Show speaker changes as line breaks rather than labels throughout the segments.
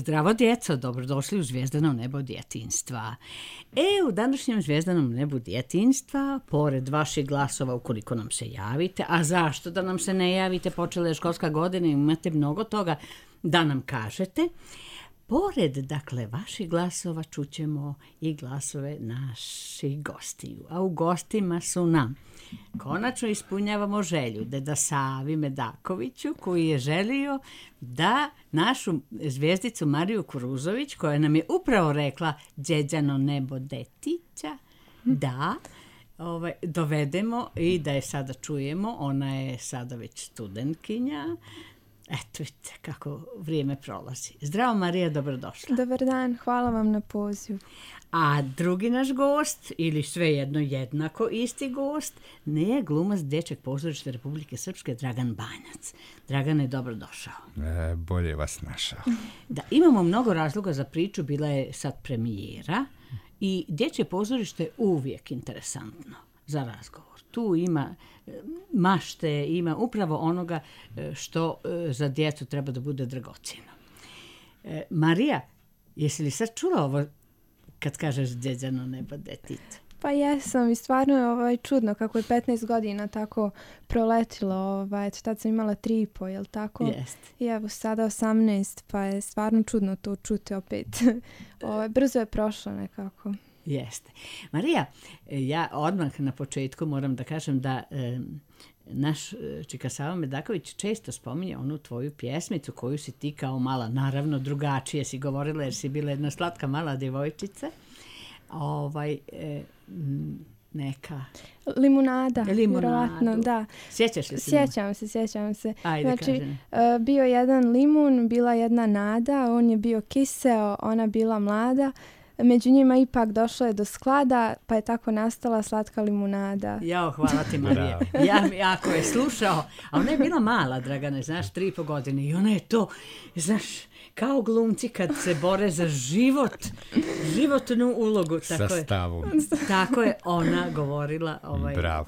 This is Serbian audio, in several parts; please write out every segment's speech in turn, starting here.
Zdravo djeco, dobrodošli u Zvijezdano nebo djetinjstva. U današnjem Zvijezdanom nebu djetinjstva, pored vaših glasova ukoliko nam se javite, a zašto da nam se ne javite, počela je školska godina i imate mnogo toga da nam kažete, pored, dakle, vaših glasova čućemo i glasove naših gostiju. A u gostima su nam konačno ispunjavamo želju deda Savi Medakoviću, koji je želio da našu zvijezdicu Mariju Kuruzović, koja nam je upravo rekla Đeđano nebo detića, da dovedemo i da je sada čujemo. Ona je sada već studentkinja. Eto, vidite kako vrijeme prolazi. Zdravo Marija, dobrodošla.
Dobar dan, hvala vam na pozivu.
A drugi naš gost, ili svejedno jednako isti gost, ne je glumac Dječjeg pozorišta Republike Srpske Dragan Banjac. Dragane, dobrodošao.
Bolje vas našao.
Da, imamo mnogo razloga za priču, bila je sad premijera i Dječje pozorište je uvijek interesantno za razgovor. Tu ima mašte, ima upravo onoga što za djecu treba da bude dragocjeno. Marija, jesi li sad čula ovo kad kažeš Đeđano nebo detića?
Pa jesam i stvarno je čudno kako je 15 godina tako proletilo. Tad sam imala 3,5, jel tako?
Jeste.
I evo sada 18, pa je stvarno čudno to čuti opet. Brzo je prošlo nekako.
Jeste. Marija, ja odmah na početku moram da kažem da naš Čika Sava Medaković često spominje onu tvoju pjesmicu koju si ti kao mala, naravno drugačije si govorila jer si bila jedna slatka mala djevojčica. Neka...
Limunada, vjerovatno, da.
Sjećaš li se?
Sjećam se.
Ajde,
znači, bio jedan limun, bila jedna nada, on je bio kiseo, ona bila mlada. Među njima ipak došlo je do sklada, pa je tako nastala slatka limunada.
Jao, hvala ti Marija. Jako je slušao, a ona je bila mala, Dragane, znaš, 3,5 godine i ona je to, znaš, kao glumci kad se bore za životnu ulogu.
Sa stavom.
Tako je ona govorila.
Bravo.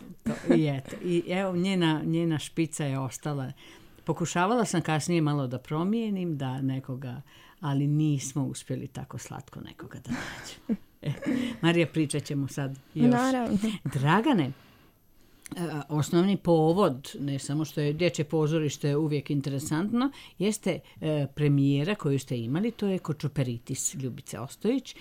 I evo, njena špica je ostala. Pokušavala sam kasnije malo da promijenim, da nekoga, ali nismo uspjeli tako slatko nekoga da nađemo. Marija, pričat ćemo sad još.
Naravno.
Dragane, osnovni povod, ne samo što je Dječje pozorište uvijek interesantno, jeste premijera koju ste imali, to je Kočoperitis Ljubice Ostojić.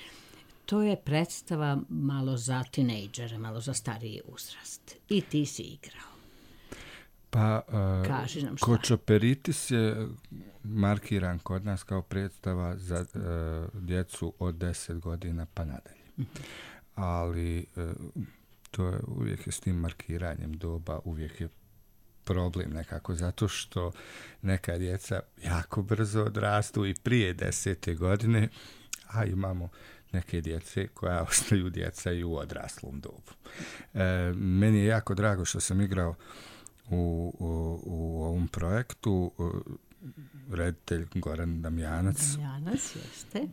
To je predstava malo za tinejdžere, malo za stariji uzrast. I ti si igrao.
Pa,
Kočoperitis
je markiran kod nas kao predstava za djecu od 10 godina pa nadalje. Ali to je uvijek s tim markiranjem doba, uvijek je problem nekako, zato što neka djeca jako brzo odrastu i prije 10. godine, a imamo neke djece koja ostaju djeca i u odraslom dobu. Meni je jako drago što sam igrao u ovom projektu. Reditelj Goran Damjanac,
jeste.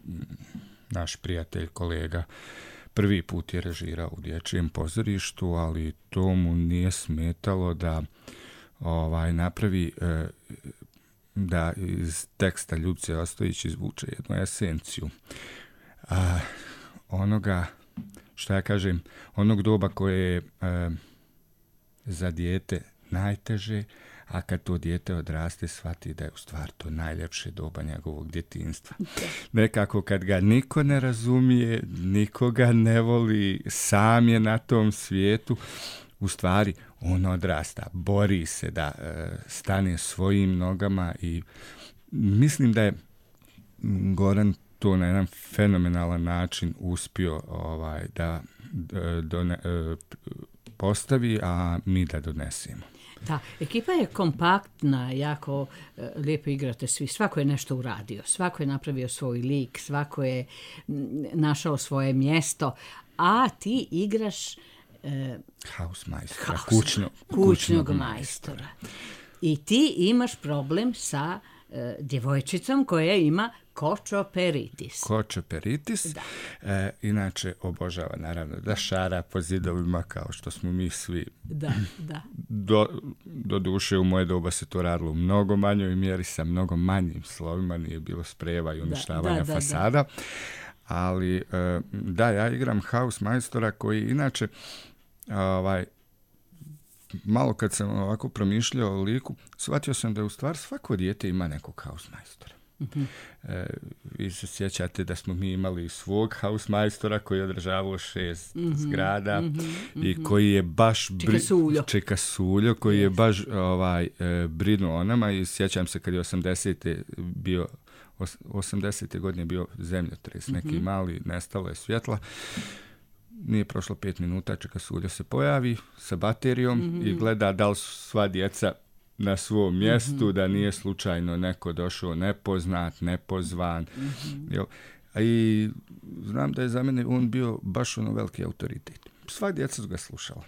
Naš prijatelj, kolega, prvi put je režirao u Dječjem pozorištu, ali to mu nije smetalo da napravi da iz teksta Ljubice Ostojić izvuče jednu esenciju onoga, što ja kažem, onog doba koje je za dijete najteže, a kad to dijete odraste shvati da je u stvari to najljepše doba njegovog djetinjstva. Nekako kad ga niko ne razumije, nikoga ne voli, sam je na tom svijetu, u stvari on odrasta, bori se da stane svojim nogama i mislim da je Goran to na jedan fenomenalan način uspio da postavi, a mi da donesemo.
Da, ekipa je kompaktna, jako lijepo igrate svi. Svako je nešto uradio, svako je napravio svoj lik, svako je našao svoje mjesto, a ti igraš
hausmajstora,
kućnog majstora. I ti imaš problem sa djevojčicom koja ima kočoperitis.
Kočoperitis. Inače, obožava naravno da šara po zidovima kao što smo mi svi.
Da.
Do duše u moje doba se to radilo u mnogo manjoj mjeri, sa mnogo manjim slovima, nije bilo sprejeva i uništavanja fasada. Ali ja igram hausmajstora koji inače malo kad sam ovako promišljao o liku, shvatio sam da u stvari svako dijete ima nekog hausmajstora. Vi se sjećate da smo mi imali svog hausmajstora koji je održavao 6 zgrada i koji je baš Čeka Suljo koji je baš brinuo o nama i sjećam se kad je 80. godine bio zemljotres, neki mali, nestalo je svjetla. Nije prošlo 5 minuta, Čeka Suljo se pojavi sa baterijom i gleda da li su sva djeca na svom mjestu, da nije slučajno neko došao nepoznat, nepozvan. I znam da je za mene on bio baš veliki autoritet. Sva djeca su ga slušala.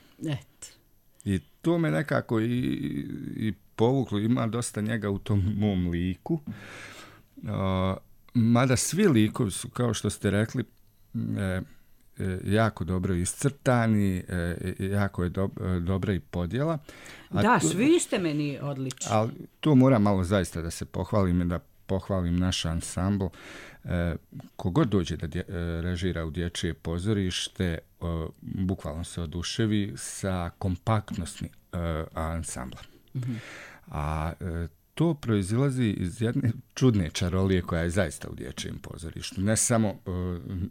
I to me nekako i povuklo, ima dosta njega u tom mom liku. Mada svi likovi su, kao što ste rekli, jako dobro iscrtani, jako je dobra i podjela.
Svi ste meni odlični.
Ali tu moram malo zaista da se pohvalim i da pohvalim naš ansambl. Kogod dođe da režira u dječje pozorište, bukvalno se oduševi sa kompaktnosti ansambla. A to proizilazi iz jedne čudne čarolije koja je zaista u dječjem pozorištu. Ne samo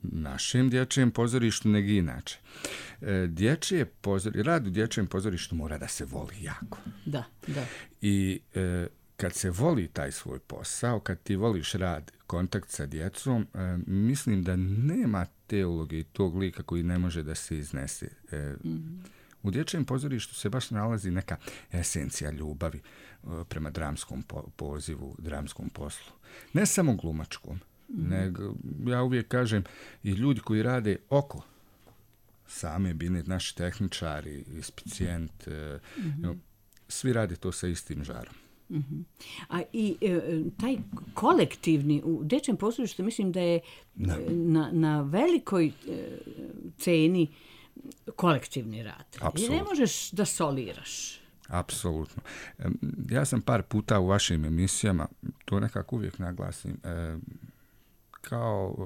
našem dječjem pozorištu, nego i inače. Rad u dječjem pozorištu mora da se voli jako.
Da.
I kad se voli taj svoj posao, kad ti voliš rad, kontakt sa djecom, mislim da nema te uloge i tog lika koji ne može da se iznese. U dječjem pozorištu se baš nalazi neka esencija ljubavi prema dramskom pozivu, dramskom poslu. Ne samo glumačkom, nego ja uvijek kažem i ljudi koji rade oko same bine, naši tehničari, ispicijent, svi rade to sa istim žarom.
A i taj kolektivni u dječjem pozorištu mislim da je na velikoj ceni kolektivni rad.
Apsolutno.
I ne možeš da soliraš.
Apsolutno. Ja sam par puta u vašim emisijama, to nekako uvijek naglasim, kao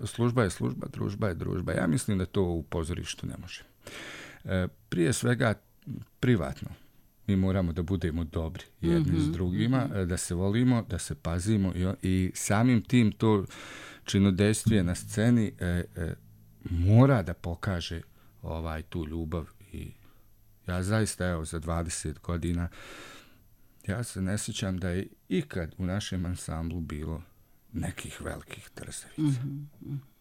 služba je služba, družba je družba. Ja mislim da to u pozorištu ne može. Prije svega privatno. Mi moramo da budemo dobri jedni s drugima, da se volimo, da se pazimo i samim tim to činodejstvije na sceni mora da pokaže tu ljubav. I ja zaista, za 20 godina ja se ne sjećam da je ikad u našem ansamblu bilo nekih velikih trzavica.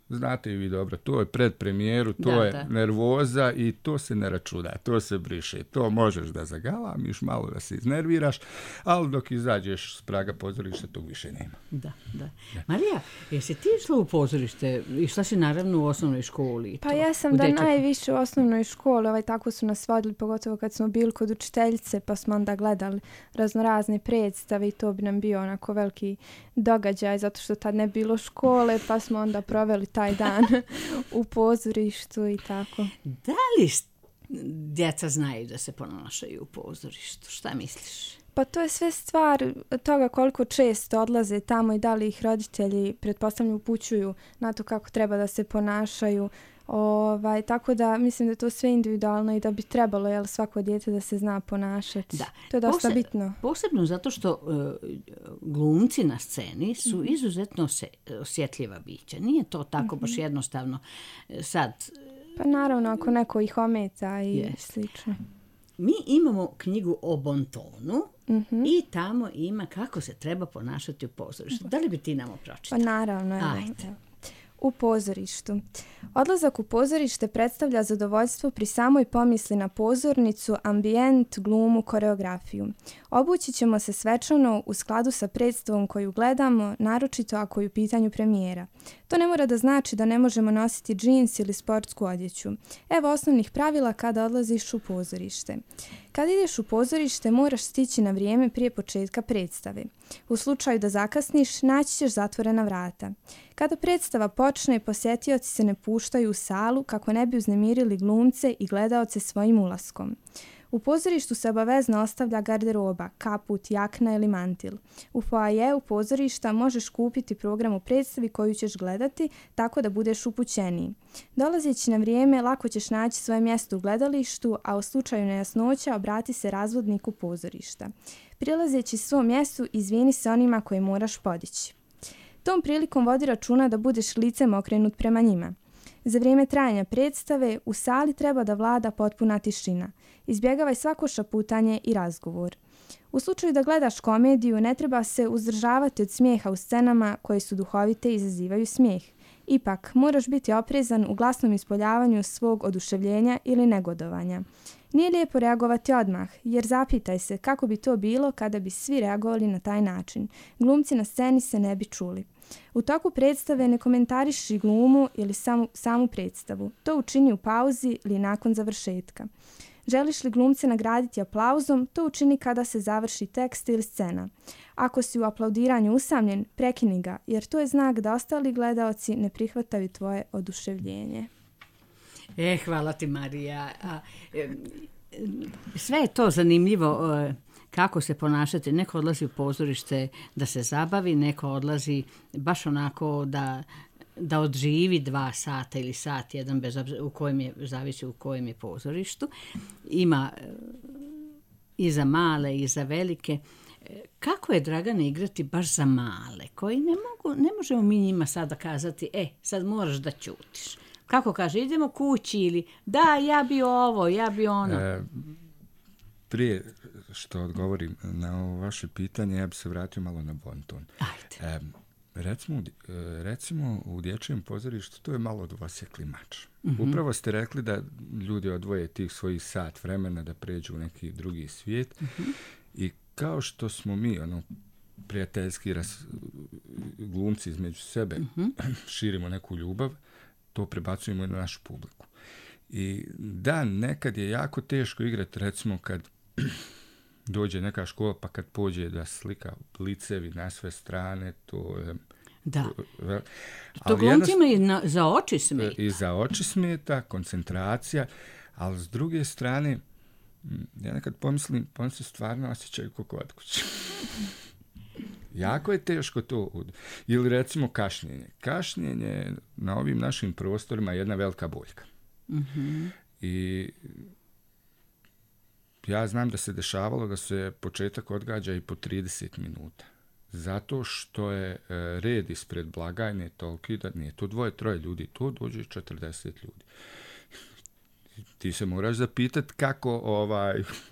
Znate i vi dobro, to je pred premijeru, to je nervoza i to se ne računa, to se briše. To možeš da zagalamiš, malo da se iznerviraš, ali dok izađeš s praga pozorišta, tog više nema.
Da. Marija, jesi ti išla u pozorište? Išla si naravno u osnovnoj školi?
Pa ja sam najviše u osnovnoj školi, tako su nas vodili, pogotovo kad smo bili kod učiteljice, pa smo onda gledali raznorazne predstave i to bi nam bio onako veliki događaj, zato što tad ne bilo škole, pa smo onda proveli taj dan u pozorištu i tako.
Da li djeca znaju da se ponašaju u pozorištu? Šta misliš?
Pa to je sve stvar toga koliko često odlaze tamo i da li ih roditelji pretpostavljaju upućuju na to kako treba da se ponašaju. Tako da mislim da je to sve individualno i da bi trebalo svako dijete da se zna ponašati.
Da.
To je dosta bitno.
Posebno zato što glumci na sceni su izuzetno osjetljiva bića. Nije to tako baš jednostavno sad.
Pa naravno ako neko ih ometa i slično.
Mi imamo knjigu o bontonu i tamo ima kako se treba ponašati u pozorištu. Da li bi ti nam pročitala?
Pa naravno.
Ajde.
U pozorištu. Odlazak u pozorište predstavlja zadovoljstvo pri samoj pomisli na pozornicu, ambijent, glumu, koreografiju. Obući ćemo se svečano u skladu sa predstavom koju gledamo, naročito ako je u pitanju premijera. To ne mora da znači da ne možemo nositi džins ili sportsku odjeću. Evo osnovnih pravila kada odlaziš u pozorište. Kada ideš u pozorište, moraš stići na vrijeme prije početka predstave. U slučaju da zakasniš, naći ćeš zatvorena vrata. Kada predstava počne, posjetioci se ne puštaju u salu kako ne bi uznemirili glumce i gledaoce svojim ulaskom. U pozorištu se obavezno ostavlja garderoba, kaput, jakna ili mantil. U foajeu pozorišta možeš kupiti program u predstavi koju ćeš gledati tako da budeš upućeniji. Dolazeći na vrijeme, lako ćeš naći svoje mjesto u gledalištu, a u slučaju nejasnoća obrati se razvodniku pozorišta. Prilazeći svom mjestu, izvini se onima koje moraš podići. Tom prilikom vodi računa da budeš licem okrenut prema njima. Za vrijeme trajanja predstave u sali treba da vlada potpuna tišina. Izbjegavaj svako šaputanje i razgovor. U slučaju da gledaš komediju, ne treba se uzdržavati od smijeha u scenama koje su duhovite i izazivaju smijeh. Ipak, moraš biti oprezan u glasnom ispoljavanju svog oduševljenja ili negodovanja. Nije lijepo reagovati odmah, jer zapitaj se kako bi to bilo kada bi svi reagovali na taj način. Glumci na sceni se ne bi čuli. U toku predstave ne komentariši glumu ili samu predstavu. To učini u pauzi ili nakon završetka. Želiš li glumce nagraditi aplauzom, to učini kada se završi tekst ili scena. Ako si u aplaudiranju usamljen, prekini ga, jer to je znak da ostali gledaoci ne prihvataju tvoje oduševljenje.
Hvala ti, Marija. Sve je to zanimljivo kako se ponašati. Neko odlazi u pozorište da se zabavi, neko odlazi baš onako da odživi 2 sata ili sat jedan, bez obzira zavisi u kojem je pozorištu. Ima i za male i za velike. Kako je, Dragane, igrati baš za male, koji ne možemo mi njima sada kazati, sad moraš da ćutiš. Kako kaže, idemo kući ili da, ja bi ovo, ja bi ono.
Prije što odgovorim na ovo vaše pitanje, ja bi se vratio malo na bonton.
Ajde.
Recimo u dječjem pozorištu to je malo dvosjekli mač. Upravo ste rekli da ljudi odvoje tih svojih sat vremena da pređu u neki drugi svijet i kao što smo mi prijateljski glumci između sebe širimo neku ljubav, to prebacujemo i na našu publiku. I da, nekad je jako teško igrati, recimo kad dođe neka škola pa kad pođe da slika licevi na sve strane, to je...
Da. To glumcima i za oči smeta.
I za oči smeta, koncentracija, ali s druge strane, ja nekad pomislim, pa on se stvarno osjećaju kao kod kuće. Jako je teško to. Ili recimo kašnjenje. Kašnjenje na ovim našim prostorima je jedna velika boljka. I ja znam da se dešavalo da se početak odgađa i po 30 minuta. Zato što je red ispred blagajne toliki da nije to 2-3 ljudi, to dođe 40 ljudi. Ti se moraš zapitati kako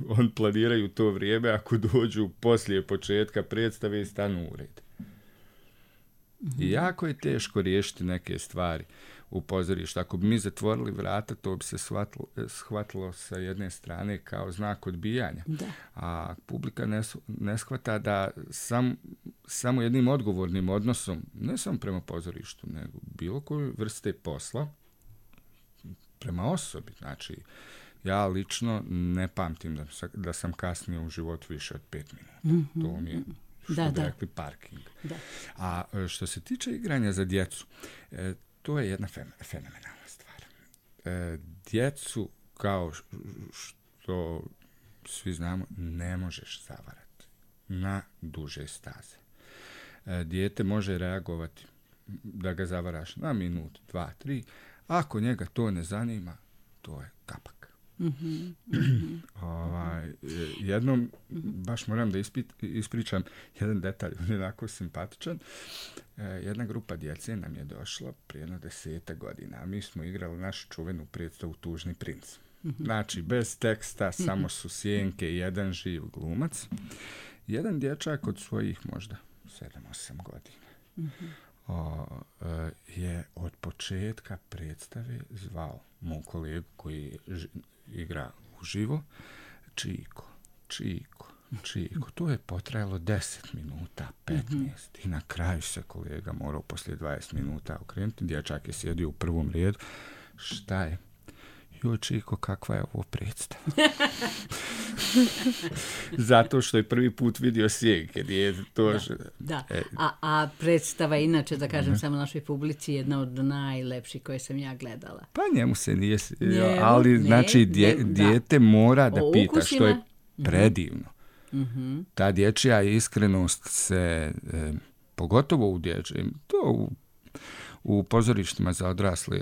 on planiraju to vrijeme ako dođu poslije početka predstave i stanu u red. I jako je teško riješiti neke stvari u pozorištu. Ako bi mi zatvorili vrata, to bi se shvatilo sa jedne strane kao znak odbijanja.
Da.
A publika ne shvata da samo jednim odgovornim odnosom, ne samo prema pozorištu, nego bilo koju vrste posla, prema osobi. Znači, ja lično ne pamtim da sam kasnio u životu više od 5 minuta. To mi je, što bi rekli, parking.
Da.
A što se tiče igranja za djecu, to je jedna fenomenalna stvar. Djecu, kao što svi znamo, ne možeš zavarati na duže staze. Dijete može reagovati da ga zavaraš na minut, 2, 3. Ako njega to ne zanima, to je kapak. Jednom, baš moram da ispričam jedan detalj, on je onako simpatičan. Jedna grupa djece nam je došla prije 10 godina, a mi smo igrali našu čuvenu predstavu Tužni princ. Znači, bez teksta, samo su sjenke i jedan živ glumac. Jedan dječak od svojih možda 7-8 godina je od početka predstave zvao moj kolegu koji igra uživo, Čiko, Čiko, Čiko, to je potrajalo 10 minuta, 15. I na kraju se kolega morao poslije 20 minuta okrenuti. Dječak je sjedio u prvom redu. Šta je? Joj, Čiko, kakva je ovo predstava? Zato što je prvi put vidio sjeg.
A predstava, inače, da kažem samo našoj publici, jedna od najlepših koje sam ja gledala.
Pa njemu se nije... ali, znači, dijete mora da pita što je predivno. Ta dječja iskrenost se, pogotovo u dječjem, to u pozorištima za odrasle,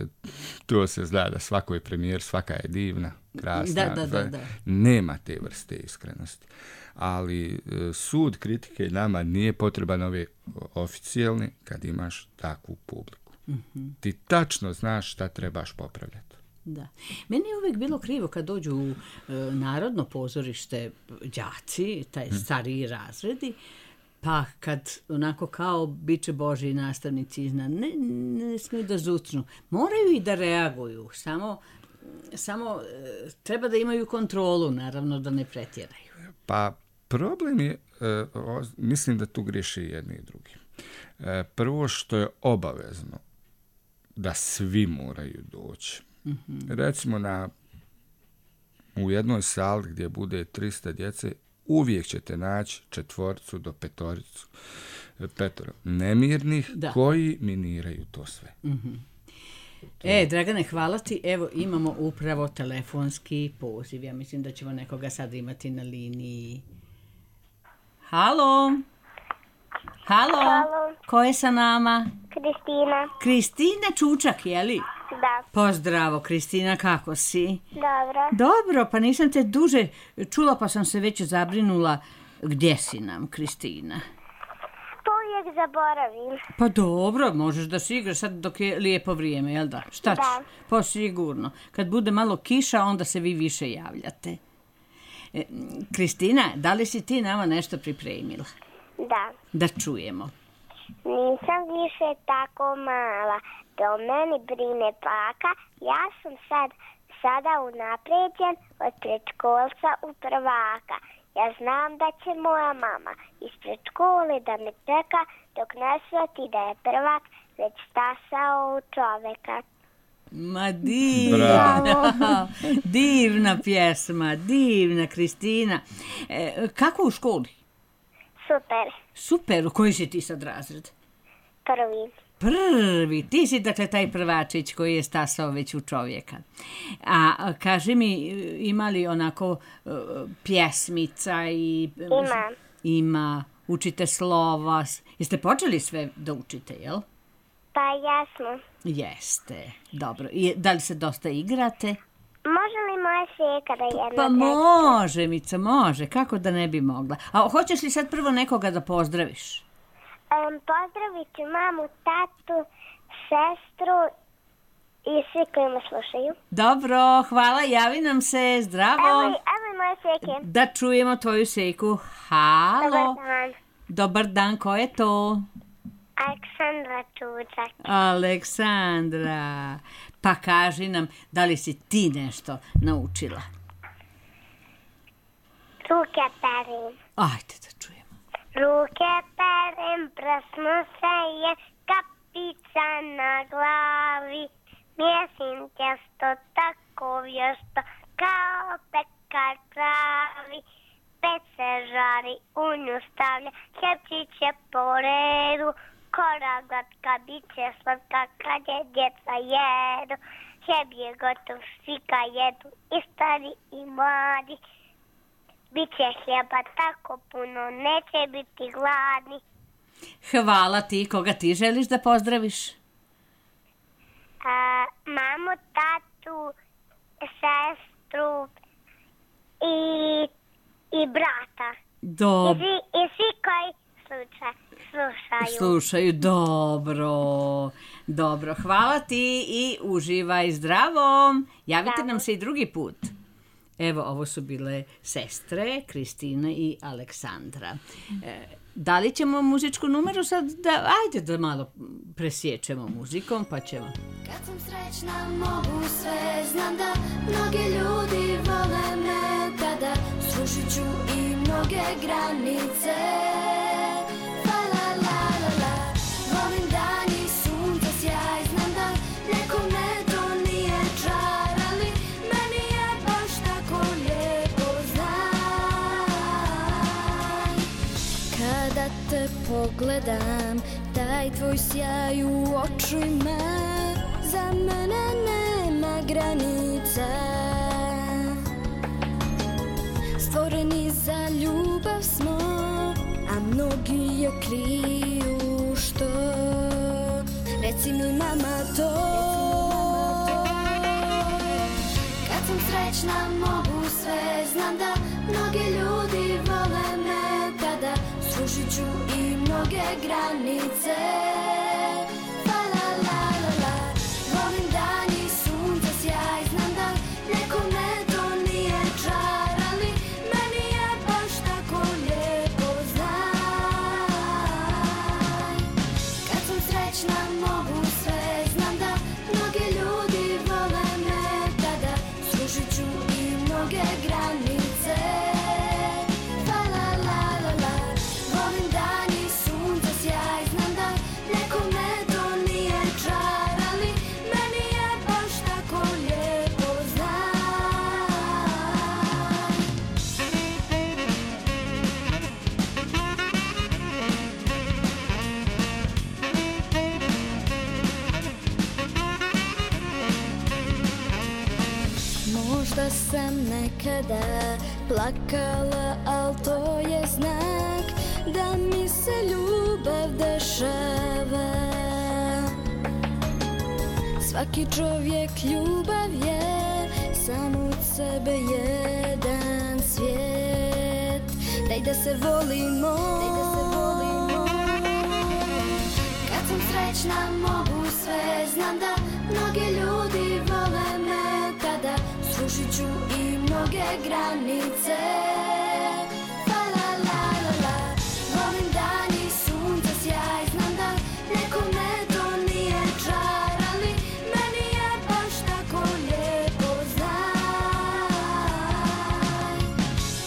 to se zna da svako je premijer, svaka je divna, krasna.
Da.
Nema te vrste iskrenosti. Ali sud kritike nama nije potreban ove oficijalne kad imaš takvu publiku. Ti tačno znaš šta trebaš popravljati.
Da. Meni je uvijek bilo krivo kad dođu u narodno pozorište đaci, taj stariji razredi, pa kad onako kao biće Božji nastavnici iznad, ne smiju da zucnu. Moraju i da reaguju, samo treba da imaju kontrolu, naravno da ne pretjeraju.
Pa problem je, mislim da tu griješi jedni i drugi. Prvo što je obavezno da svi moraju doći. Recimo u jednoj sali gdje bude 300 djece, uvijek ćete naći 4 do 5 nemirnih koji miniraju to sve.
Dragane, hvala ti. Evo, imamo upravo telefonski poziv. Ja mislim da ćemo nekoga sad imati na liniji. Halo? Ko je sa nama?
Kristina.
Kristina Čučak, je li?
Da.
Pozdravo, Kristina, kako si?
Dobro,
pa nisam te duže čula, pa sam se već zabrinula. Gdje si nam, Kristina?
To uvijek zaboravim.
Pa dobro, možeš da si igraš sad dok je lijepo vrijeme, jel da? Šta ćeš?
Da.
Pa sigurno. Kad bude malo kiša, onda se vi više javljate. Kristina, da li si ti nama nešto pripremila?
Da.
Da čujemo.
Nisam više tako mala, da o meni brine baka. Ja sam sada unaprijeđen od predškolca u prvaka. Ja znam da će moja mama ispred škole da me čeka dok ne shvati da je prvak već stasao u čoveka.
Ma divna, divna pjesma, divna Kristina. Kako u školi? Super, u koji si ti sad razred? Prvi, ti si dakle taj prvačić koji je stasao već u čovjeka. A kaži mi, ima li onako pjesmica i... Ima, učite slova. Jeste počeli sve da učite, jel?
Pa jasno.
Jeste, dobro. I da li se dosta igrate?
Može li moja seka da jedna
Pa može, Mica, može. Kako da ne bi mogla? A hoćeš li sad prvo nekoga da pozdraviš?
Pozdravit ću mamu, tatu, sestru i svi koji me slušaju.
Dobro, hvala, javi nam se, zdravo.
Evo moje seke.
Da čujemo tvoju seku. Halo.
Dobar dan.
Dobar dan, ko je to?
Aleksandra Čučak.
Aleksandra. Pa kaži nam, da li si ti nešto naučila?
Ruke perim.
Ajde da čujemo.
Ruke perem, prsno se je, kapica na glavi. Mjesim tjesto tako vješto, kao pekar pravi. Peć se žari, u nju stavlja, hljebčiće po redu. Kora glatka, bit će slatka kad je djeca jedu. Hljeb je gotov, svi ga jedu, i stari i mladi. Biće hljeba tako puno, neće biti gladni.
Hvala ti. Koga ti želiš da pozdraviš?
Mamu, tatu, sestru i brata.
Dobro.
I svi koji slušaju.
Dobro. Hvala ti i uživaj, zdravo. Javite nam se i drugi put. Evo, ovo su bile sestre, Kristina i Aleksandra. Da li ćemo muzičku numeru sad? Ajde da malo presječemo muzikom, pa ćemo.
Kad sam srećna mogu sve, znam da mnogi ljudi vole me tada, srušit ću i mnoge granice. La la la la la. Volim dan i sunce sjaj, znam da nekome to nije čar, ali meni je baš tako lijepo, znaj. Kada te pogledam, taj tvoj sjaj u očima, za mene nema granica. Stvoreni za ljubav smo, a mnogi je kriju, što? Reci mi mama to. Kad sam srećna mogu sve, znam da mnogi ljudi vole me, tada srušit ću i mnoge granice. La la la la la. Volim dan i sunce sjaj, znam da nekome to nije čar, ali meni je baš tako lijepo, znaj. Kad sam srećna mogu sve, znam da mnogi ljudi vole me, tada srušit ću i mnoge granice. La la la la la. Volim dan i sunce sjaj, znam da nekome to nije čar, ali meni je baš tako lijepo, znaj. Možda sam nekada plakala, al to je znak da mi se ljubav dešava. Svaki čovjek ljubav je, samo od sebe jedan svijet. Daj da se volimo, kad sam srećna mogu sve, znam da mnogi ljudi vole me, tada srušit ću i mnoge granice. La la la la la. Volim dan i sunce sjaj, znam da nekome to nije čar, ali meni je baš tako lijepo, znaj.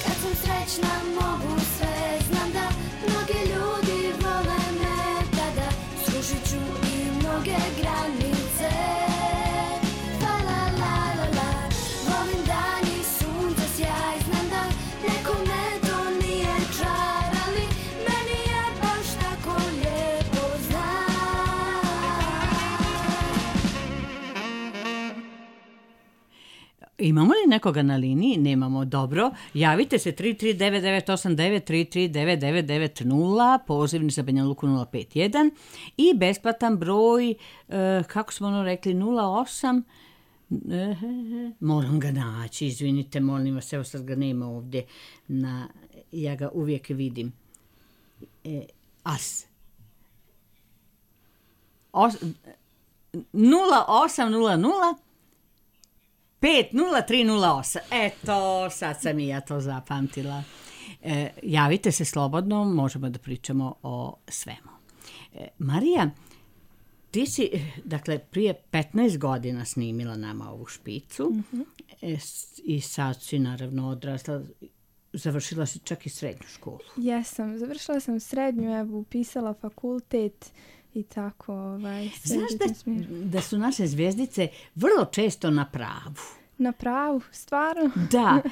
Kad sam srećna mogu sve, znam da mnogi ljudi vole me, tada srušit ću i mnoge granice. La la la la la. Volim dan i sunce sjaj, znam da nekome to nije čar, ali meni je baš tako lijepo, znaj.
Imamo li nekoga na liniji? Nemamo. Dobro. Javite se 33989, 3399990, pozivni za Banja Luku 051 i besplatan broj, kako smo ono rekli, 08. Moram ga naći, izvinite, molim vas, evo sad ga nema ovdje, ja ga uvijek vidim. As. 0800 50308. Eto, sad sam i ja to zapamtila. Javite se slobodno, možemo da pričamo o svemu. Marija, ti si, dakle, prije 15 godina snimila nama ovu špicu i sad si naravno odrasla, završila si čak i srednju školu.
Jesam, završila sam srednju, evo, upisala fakultet i tako.
Znaš da su naše zvijezdice vrlo često na pravu?
Na pravu, stvarno?
Da,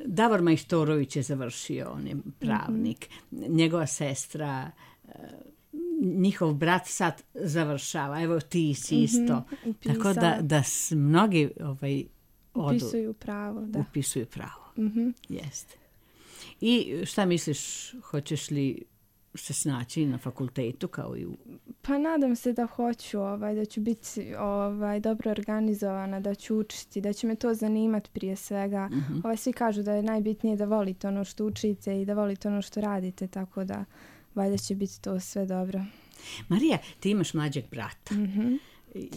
Davor Majstorović je završio, on je pravnik, njegova sestra, njihov brat sad završava, evo ti si isto. Tako da mnogi
upisuju pravo, da.
Upisuju pravo, jeste. I šta misliš, hoćeš li se snaći na fakultetu kao i u...
Pa nadam se da hoću, da ću biti dobro organizovana, da ću učiti, da će me to zanimati prije svega. Svi kažu da je najbitnije da volite ono što učite i da volite ono što radite, tako da valjda će biti to sve dobro.
Marija, ti imaš mlađeg brata.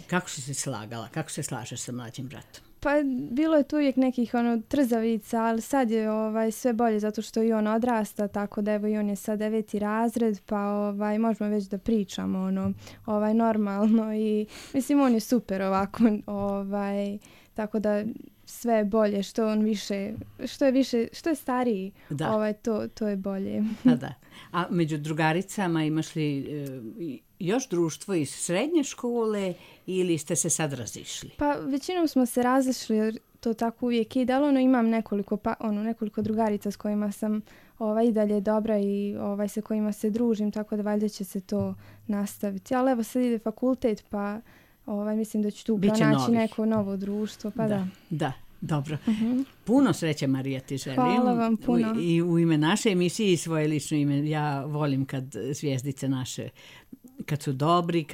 Kako si se slagala? Kako se slažeš sa mlađim bratom?
Pa bilo je tu uvijek nekih trzavica, ali sad je sve bolje zato što i on odrasta, tako da evo i on je sad 9. razred, pa možemo već da pričamo normalno i mislim on je super ovako, tako da sve je bolje, što on više, što je stariji,
Da.
To je bolje.
Da. A među drugaricama imaš li još društvo iz srednje škole ili ste se sad razišli?
Pa većinom smo se razišli jer to tako uvijek ide, ali imam nekoliko drugarica s kojima sam i dalje dobra i sa kojima se družim, tako da valjda će se to nastaviti. Ali evo sad ide fakultet, pa mislim da ću tu pronaći neko novo društvo. Pa
Da, dobro. Puno sreće, Marija, ti želim.
Hvala vam puno.
I u ime naše emisije i svoje lično ime. Ja volim kad zvijezdice naše, kad su dobri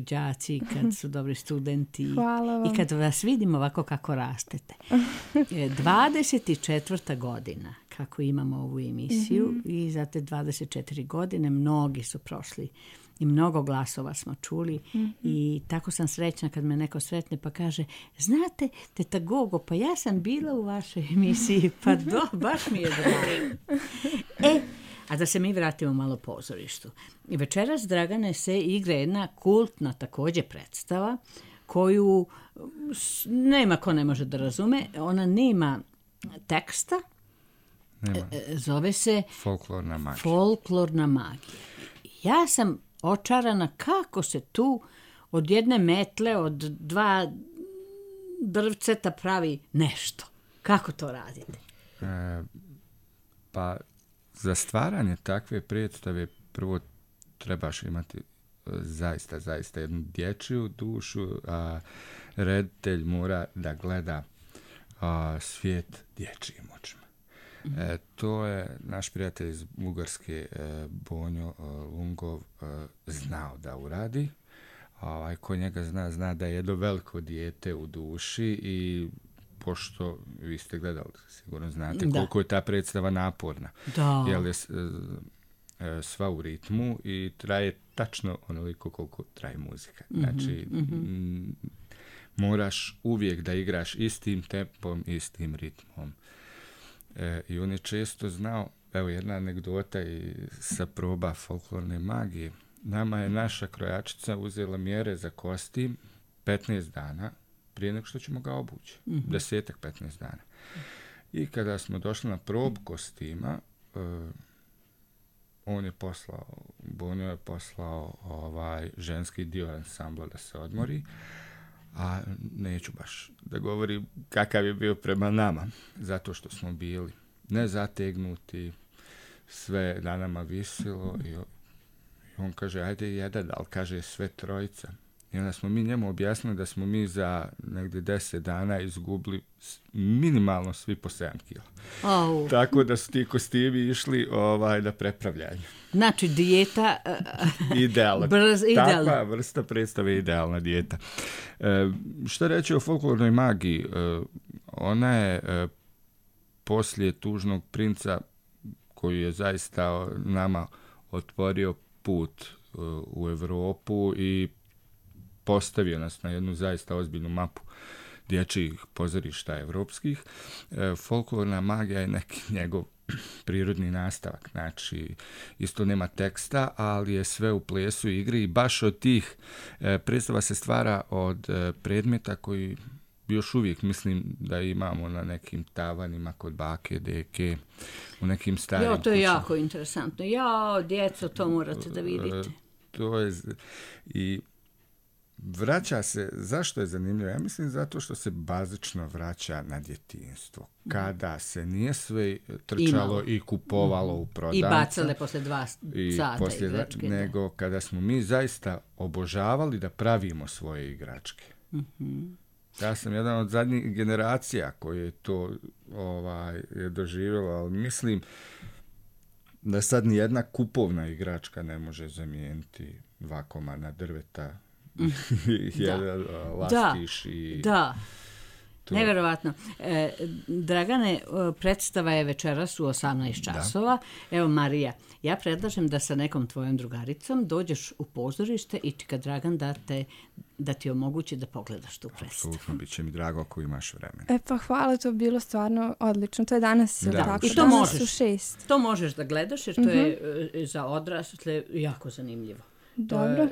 đaci, kad su dobri studenti.
Hvala vam.
I kad vas vidim ovako kako rastete. 24. godina kako imamo ovu emisiju i za te 24 godine mnogi su prošli i mnogo glasova smo čuli i tako sam srećna kad me neko sretne pa kaže, znate, teta Gogo, pa ja sam bila u vašoj emisiji, pa baš mi je drago. A da se mi vratimo malo pozorištu. Večeras, Dragane, se igra jedna kultna također predstava koju nema ko ne može da razume. Ona nema teksta.
Nema.
Zove se Folklorna magija. Ja sam očarana kako se tu od jedne metle, od 2 drvceta pravi nešto. Kako to radite?
Pa za stvaranje takve predstave prvo trebaš imati zaista jednu dječju dušu, a reditelj mora da gleda svijet dječjim očima. To je naš prijatelj iz Bugarske, Bonjo Lungov, znao da uradi. Ko njega zna da je jedno veliko dijete u duši i pošto vi ste gledali, sigurno znate koliko je ta predstava naporna.
Da.
Jer je sva u ritmu i traje tačno onoliko koliko traje muzika. Znači, moraš uvijek da igraš istim tempom, istim ritmom. I on je često znao, evo jedna anegdota i sa proba folklorne magije. Nama je naša krojačica uzela mjere za kostim 15 dana prije nego što ćemo ga obući. 10-15 dana. I kada smo došli na probu kostima, Bonjo je poslao ženski dio ansambla da se odmori, a neću baš da govorim kakav je bio prema nama, zato što smo bili nezategnuti, sve na nama visilo i on kaže, ajde jedan, ali kaže sve trojica. I onda smo mi njemu objasnili da smo mi za negdje 10 dana izgubili minimalno svi po 7 kila. Tako da su ti kostimi išli da prepravljaju.
Znači, dijeta...
Idealna. Takva vrsta predstave je idealna dijeta. Što reći o folklornoj magiji? Ona je poslije Tužnog princa, koji je zaista nama otvorio put u Europu i postavio nas na jednu zaista ozbiljnu mapu dječjih pozorišta evropskih. Folklorna magija je neki njegov prirodni nastavak. Znači, isto nema teksta, ali je sve u plesu i igri i baš od tih predstava se stvara od predmeta koji još uvijek mislim da imamo na nekim tavanima kod bake, deke, u nekim starim kućama.
To je jako interesantno. Djeco, to morate da vidite.
To je i vraća se, zašto je zanimljivo? Ja mislim zato što se bazično vraća na djetinjstvo. Kada se nije sve trčalo i kupovalo u prodavnicu.
I bacale posle 2 sata igračke.
Nego kada smo mi zaista obožavali da pravimo svoje igračke. Ja sam jedan od zadnjih generacija koji je to je doživjelo, ali mislim da sad ni jedna kupovna igračka ne može zamijeniti 2 komada drveta, jedan lastiš i...
Da. Nevjerovatno. Dragane, predstava je večeras u 18 časova. Evo, Marija, ja predlažem da sa nekom tvojom drugaricom dođeš u pozorište i čeka Dragan da ti omogući da pogledaš tu predstavu.
Apsolutno, bit će mi drago ako imaš vremena.
Pa hvala, to je bilo stvarno odlično. To je danas tako.
I to možeš. To možeš da gledaš jer to je za odrasle jako zanimljivo.
Dobro.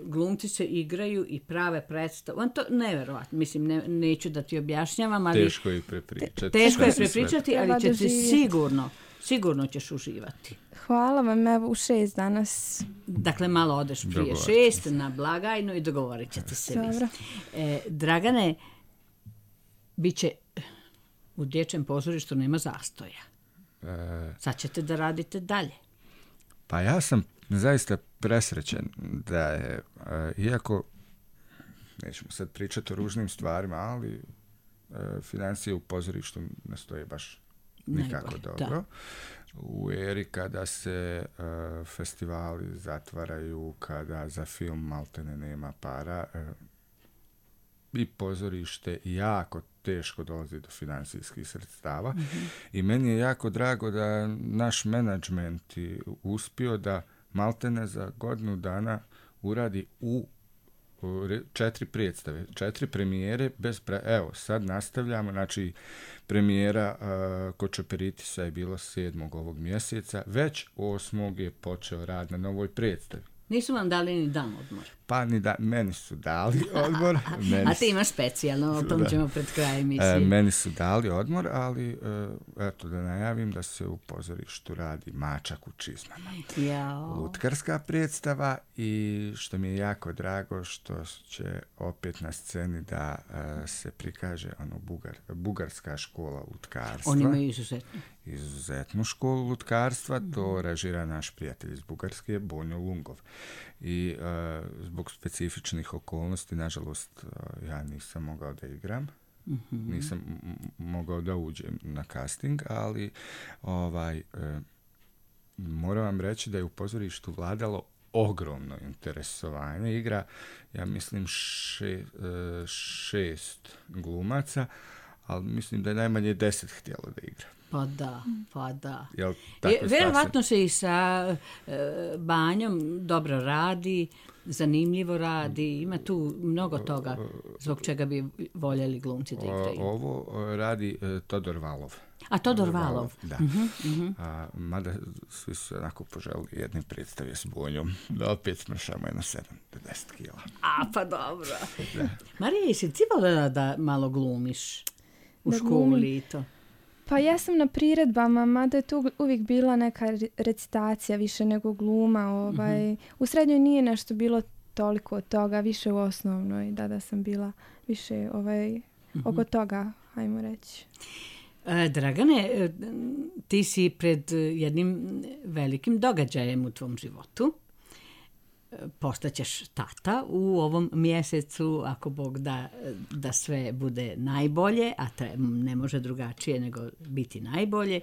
Glumci se igraju i prave predstavu. To neverovatno. Mislim, neću da ti objašnjavam, ali...
Teško je prepričati.
Teško je prepričati, ali ćete sigurno ćeš uživati.
Hvala vam, evo u 6 danas.
Dakle, malo odeš prije 6 na blagajnu i dogovorit ćete se.
Dobro.
Dragane, bit će u dječjem pozorištu nema zastoja. Sad ćete da radite dalje.
Pa ja sam zaista presrećen da je, iako nećemo sad pričati o ružnim stvarima, ali financije u pozorištu ne stoje baš nikako dobro. Da. U eri kada se festivali zatvaraju, kada za film maltene nema para, i pozorište jako teško dolazi do financijskih sredstava. I meni je jako drago da naš menadžment je uspio da maltene za godinu dana uradi u 4 predstave, 4 premijere evo, sad nastavljamo, znači premijera kod Čeperitisa je bilo 7. ovog mjeseca, već 8. je počeo rad na novoj predstavi.
Nisu vam dali ni dan odmor?
Pa meni su dali odmor.
A ti imaš specijalno, o tom ćemo pred kraj emisije.
Meni su dali odmor, ali eto da najavim da se u pozorištu radi Mačak u čizmama. Lutkarska predstava i što mi je jako drago što će opet na sceni da se prikaže bugarska škola lutkarstva.
Oni imaju
izuzetnu školu lutkarstva, to režira naš prijatelj iz Bugarske, Bonjo Lungov. I zbog specifičnih okolnosti, nažalost, ja nisam mogao da igram, nisam mogao da uđem na casting, ali moram vam reći da je u pozorištu vladalo ogromno interesovanje. Igra, ja mislim, 6 glumaca, ali mislim da je najmanje 10 htjelo da igra.
Pa da.
Vjerovatno
se i sa Banjom dobro radi, zanimljivo radi, ima tu mnogo toga zbog čega bi voljeli glumci da igraju.
Ovo radi Todor Valov.
A Todor Valov.
Da. Mada svi su onako poželili jedne predstave s Bonjom, da opet smršamo jedno 7 do 10 kila.
Pa dobro. Marija, jesi ti voljela da malo glumiš u školi i to?
Pa ja sam na priredbama, mada je tu uvijek bila neka recitacija više nego gluma. U srednjoj nije nešto bilo toliko od toga, više u osnovnoj, da sam bila više oko toga, hajmo reći.
Dragane, ti si pred jednim velikim događajem u tvom životu. Postaćeš tata u ovom mjesecu, ako Bog da sve bude najbolje, a ne može drugačije nego biti najbolje.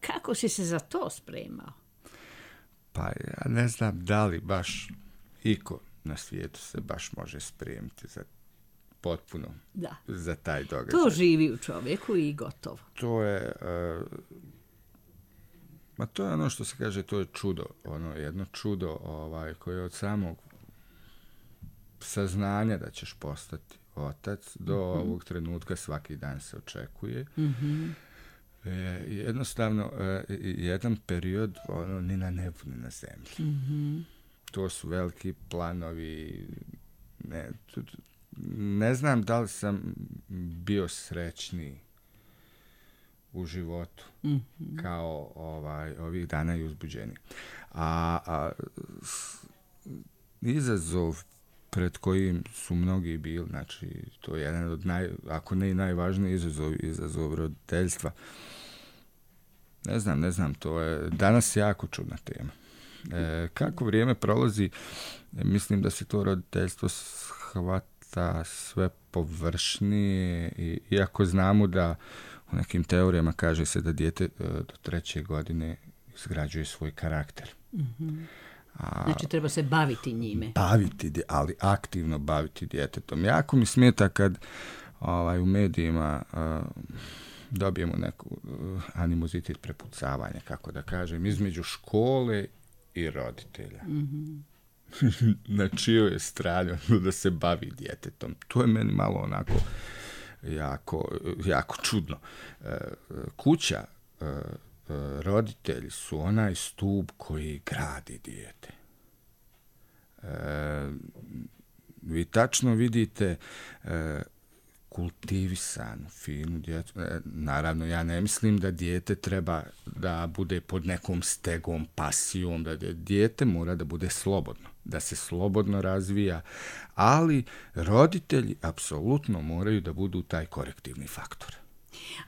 Kako si se za to spremao?
Pa ja ne znam da li baš iko na svijetu se baš može spremiti za potpuno za taj događaj.
To živi u čovjeku i gotovo.
To je... to je ono što se kaže, to je čudo, jedno čudo koje od samog saznanja da ćeš postati otac do ovog trenutka svaki dan se očekuje. Jednostavno, jedan period ni na nebu, ni na zemlji. To su veliki planovi. Ne znam da li sam bio srećniji u životu kao ovih dana i uzbuđenja. Izazov pred kojim su mnogi bili, znači to je jedan od ako ne i najvažniji izazov roditeljstva. Ne znam, to je danas jako čudna tema. Kako vrijeme prolazi, mislim da se to roditeljstvo shvata sve površnije, iako znamo da u nekim teorijama kaže se da dijete do 3. godine izgrađuje svoj karakter.
Znači treba se baviti njime.
Ali aktivno baviti djetetom. Jako mi smeta kad u medijima dobijemo neku animozitet, prepucavanja, kako da kažem, između škole i roditelja. Na čijoj je strani da se bavi djetetom. To je meni malo onako jako čudno. Kuća roditelji su onaj stup koji gradi dijete. Vi tačno vidite kultivisanu, finu djecu. Naravno, ja ne mislim da dijete treba da bude pod nekom stegom, pasijom, da dijete mora da bude slobodno, da se slobodno razvija, ali roditelji apsolutno moraju da budu taj korektivni faktor.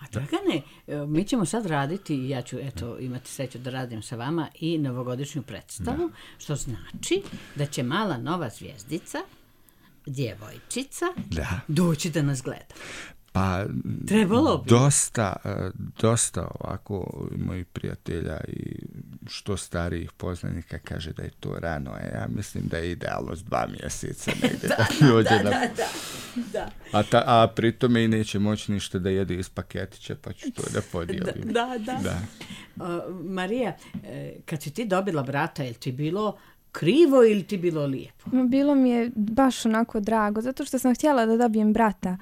A Dragane, mi ćemo sad raditi, ja ću imati sreću da radim sa vama i novogodišnju predstavu, što znači da će mala nova zvijezdica, djevojčica, doći da nas gleda.
Pa,
trebalo bi.
Dosta ovako mojih prijatelja i što starijih poznanika kaže da je to rano, a ja mislim da je idealno s 2 mjeseca negdje da dođe
da.
A pritome i neće moći ništa da jede iz paketića, pa ću to da podijelim.
Da. Marija, kad si ti dobila brata, je li ti bilo krivo ili ti bilo lijepo?
Bilo mi je baš onako drago, zato što sam htjela da dobijem brata.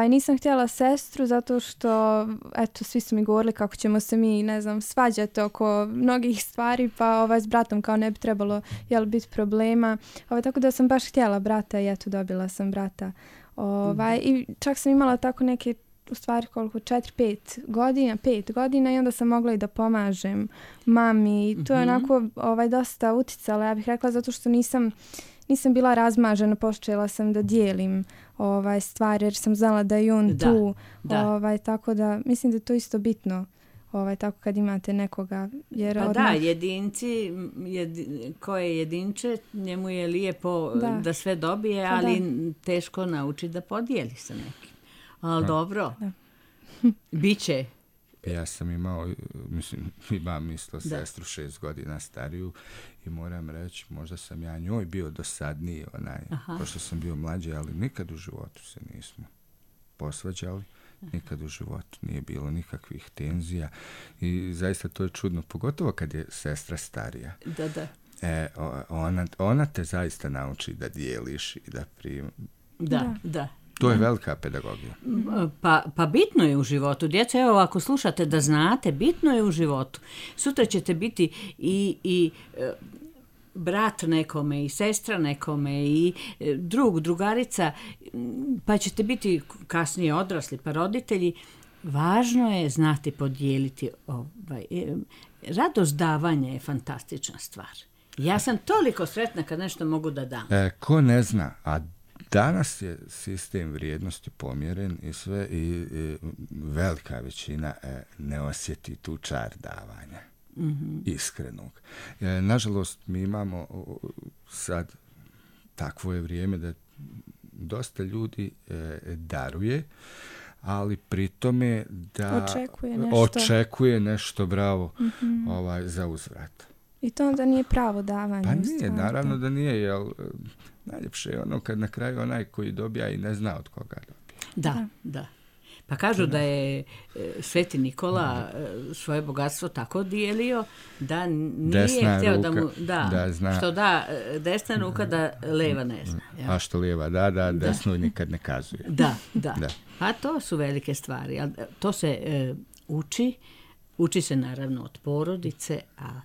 Nisam htjela sestru, zato što, svi su mi govorili kako ćemo se mi, svađati oko mnogih stvari, pa s bratom kao ne bi trebalo, biti problema. Tako da sam baš htjela brata i dobila sam brata. I čak sam imala tako neke, u stvari koliko, 5 godina i onda sam mogla i da pomažem mami i to je onako dosta uticalo, ja bih rekla, zato što nisam bila razmažena, počela sam da dijelim stvari jer sam znala da je on tu, tako da mislim da je to isto bitno. Tako kad imate nekoga. Jer
jedinci, ko je jedinče, njemu je lijepo da sve dobije, ali teško nauči da podijeli sa nekim. Ali dobro, biće.
Ja sam imam isto sestru 6 godina stariju i moram reći, možda sam ja njoj bio dosadniji, pošto sam bio mlađi, ali nikad u životu se nismo posvađali, nikad u životu nije bilo nikakvih tenzija i zaista to je čudno, pogotovo kad je sestra starija. Ona te zaista nauči da dijeliš i da prijemaš.
Da.
To je velika pedagogija.
Pa bitno je u životu. Djeca, evo, ako slušate da znate, bitno je u životu. Sutra ćete biti i brat nekome, i sestra nekome, i drugarica, pa ćete biti kasnije odrasli, pa roditelji. Važno je znati podijeliti. Radost davanja je fantastična stvar. Ja sam toliko sretna kad nešto mogu da dam.
Ko ne zna, a danas je sistem vrijednosti pomjeren i sve i velika većina ne osjeti tu čar davanja. Iskrenog. Nažalost, mi imamo sad takvo je vrijeme da dosta ljudi daruje, ali pri tome da očekuje nešto bravo za uzvrat.
I to onda nije pravo davanje.
Pa nije, naravno da nije, jer najljepše je ono kad na kraju onaj koji dobija i ne zna od koga dobija.
Da. Pa kažu da je Sveti Nikola svoje bogatstvo tako dijelio da nije htio da mu
zna.
Što da desna ruka da leva ne zna.
A što lijeva da, desno nikad ne kazuje.
Da. Pa to su velike stvari. To se uči se naravno od porodice, a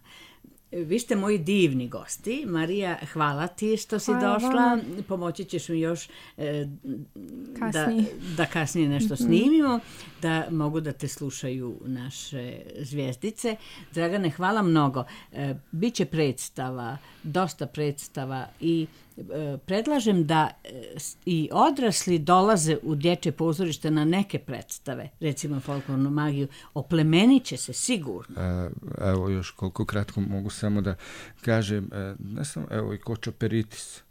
vi ste moji divni gosti. Marija, hvala ti što si došla. Pomoći ćeš mi još da kasnije nešto snimimo, da mogu da te slušaju naše zvijezdice. Dragane, hvala mnogo. Biće predstava, dosta predstava i predlažem da i odrasli dolaze u dječje pozorište na neke predstave, recimo folklornu magiju, oplemenit će se sigurno.
Evo još koliko kratko mogu samo da kažem, ne sam, evo i Kočoperitis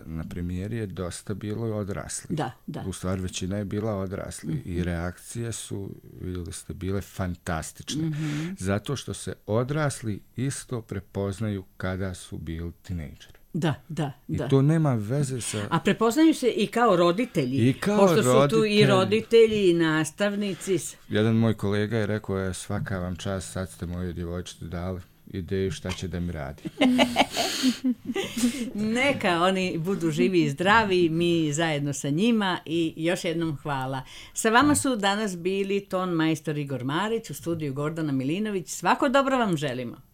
na premijeri je dosta bilo odrasli.
Da.
U stvari većina je bila odrasli i reakcije su, vidjeli ste, bile fantastične. Zato što se odrasli isto prepoznaju kada su bili tinejdžeri.
Da.
I to nema veze sa...
A prepoznaju se i kao roditelji. Pošto su tu i roditelji i nastavnici.
Jedan moj kolega je rekao, svaka vam čast, sad ste moju djevojčicu dali. ideju šta će da mi radi.
Neka oni budu živi i zdravi, mi zajedno sa njima i još jednom hvala. Sa vama su danas bili ton majstor Igor Marić, u studiju Gordana Milinović. Svako dobro vam želimo.